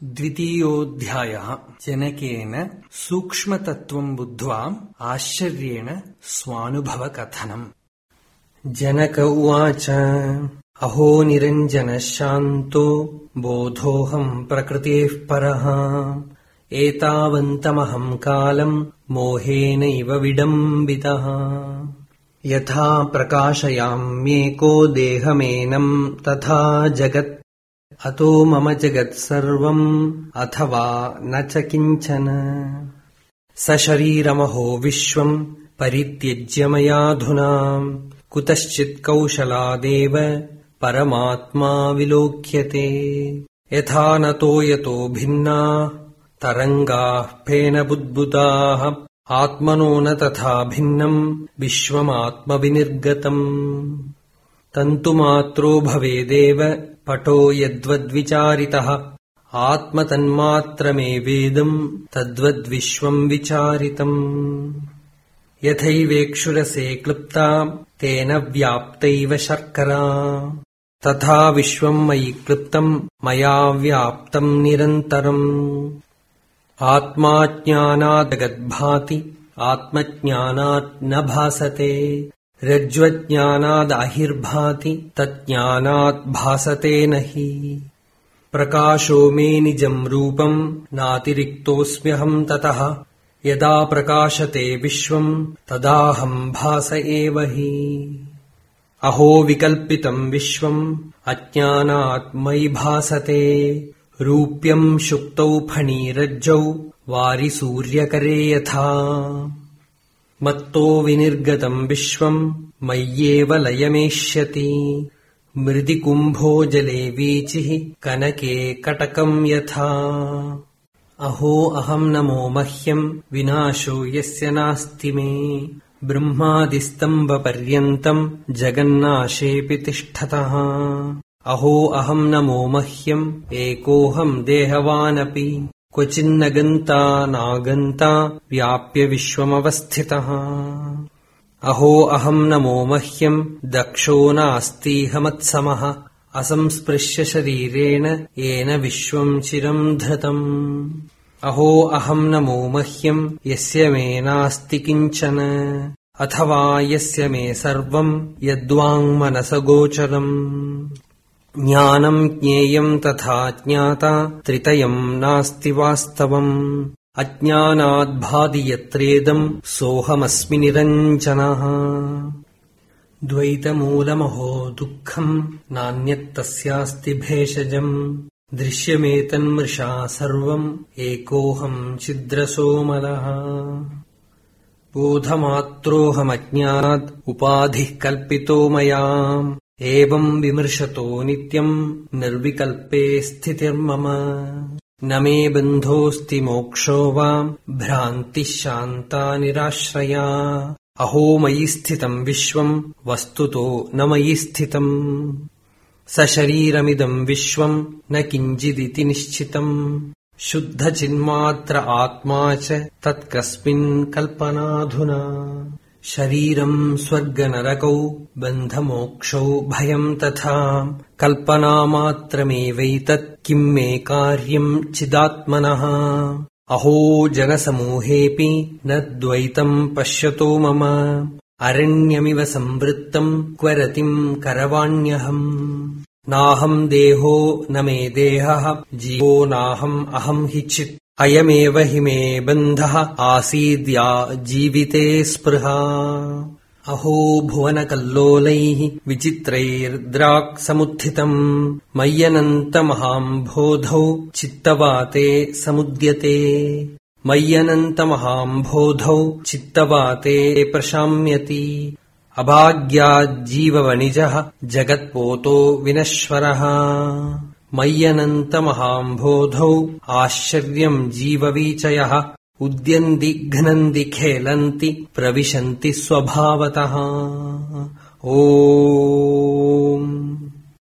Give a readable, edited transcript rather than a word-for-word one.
द्वितीयोऽध्यायः। जनकेन सूक्ष्मतत्त्वं बुद्ध्वा आश्चर्येण स्वानुभवकथनम्। जनक उवाच अहो निरञ्जनः शान्तो बोधोऽहं प्रकृतेः परः एतावन्तमहं कालम् मोहेनैव विडम्बितः यथा प्रकाशयाम्येको देहमेनं तथा जगत् अतो मम जगत् सर्वम् अथवा न च किञ्चन सशरीरमहो विश्वम् परित्यज्य मयाधुना कुतश्चित् कौशलादेव परमात्मा विलोक्यते यथा नतो यतो भिन्ना तरङ्गाः फेनबुद्बुदाः आत्मनो न तथा भिन्नम् विश्वमात्मविनिर्गतम् तन्तुमात्रो भवेदेव पटो यद्वद्विचारितः आत्मतन्मात्रमेवेदम् तद्वद्विश्वम् विचारितम् यथैवेक्षुरसे क्लृप्ता तेन व्याप्तैव शर्करा तथा विश्वम् मयि क्लृप्तम् मया व्याप्तम् निरन्तरम् आत्मा ज्ञानात् जगद्भाति आत्मज्ञानात् न भासते रज्ज्वज्ञानादहिर्भाति तज्ज्ञानात् भासते नहि प्रकाशो मे निजम् रूपम् नातिरिक्तोऽस्म्यहम् ततः यदा प्रकाशते विश्वम् तदाहम् भास एव हि अहो विकल्पितम् विश्वम् अज्ञानात् मयि भासते रूप्यम् शुक्तौ फणीरज्जौ वारिसूर्यकरे यथा मत्तो विनिर्गतम् विश्वम् मय्येव लयमेष्यति मृदिकुम्भो जले वीचिः कनके कटकम् यथा अहो अहम् नमो मह्यम् विनाशो यस्य नास्ति मे ब्रह्मादिस्तम्भपर्यन्तम् जगन्नाशेऽपि तिष्ठतः अहो अहम् नमो मह्यम् एकोऽहम् देहवानपि क्वचिन्न गन्ता नागन्ता व्याप्य विश्वमवस्थितः अहो अहम् नमो मह्यम् दक्षो नास्तीह मत्समः असंस्पृश्य शरीरेण येन विश्वम् चिरम् धृतम् अहो अहम् नमो मह्यम् यस्य मे नास्ति किञ्चन अथवा यस्य मे सर्वम् यद्वाङ्मनसगोचरम् ज्ञानम् ज्ञेयम् तथा ज्ञाता त्रितयम् नास्ति वास्तवम् अज्ञानाद्भाति यत्रेदम् सोऽहमस्मि निरञ्जनः द्वैतमूलमहो दुःखम् नान्यत्तस्यास्ति भेषजम् दृश्यमेतन्मृषा सर्वम् एकोऽहम् छिद्रसोमलः बोधमात्रोऽहमज्ञानात् उपाधिः कल्पितो मया एवम् विमृशतो नित्यम् निर्विकल्पे स्थितिर्मम न मे बन्धोऽस्ति मोक्षो वा भ्रान्तिः शान्ता निराश्रया अहो मयि स्थितम् विश्वम् वस्तुतो न मयि स्थितम् सशरीरमिदम् विश्वम् न किञ्चिदिति निश्चितम् शुद्धचिन्मात्र आत्मा च तत्कस्मिन् कल्पनाधुना शरीरम् स्वर्गनरकौ बन्धमोक्षौ भयम् तथा कल्पनामात्रमेवैतत् किम् मे कार्यम् चिदात्मनः अहो जनसमूहेऽपि न द्वैतम् पश्यतो मम अरण्यमिव संवृत्तम् क्व रतिम् करवाण्यहम् नाहम् देहो न मे देहः जीवो नाहम् अहम् हि चित् अयमेव हि मे बन्धः आसीद्या जीविते स्पृहा अहो भुवनकल्लोलैः विचित्रैर्द्राक्समुत्थितम् मय्यनन्तमहाम्भोधौ चित्तवाते समुद्यते मय्यनन्तमहाम्भोधौ चित्तवाते प्रशाम्यति अभाग्याज्जीववणिजः जगत्पोतो विनश्वरः मय्यनन्तमहाम्भोधौ आश्चर्यम् जीववीचयः उद्यन्ति घ्नन्ति खेलन्ति प्रविशन्ति स्वभावतः। ओम्।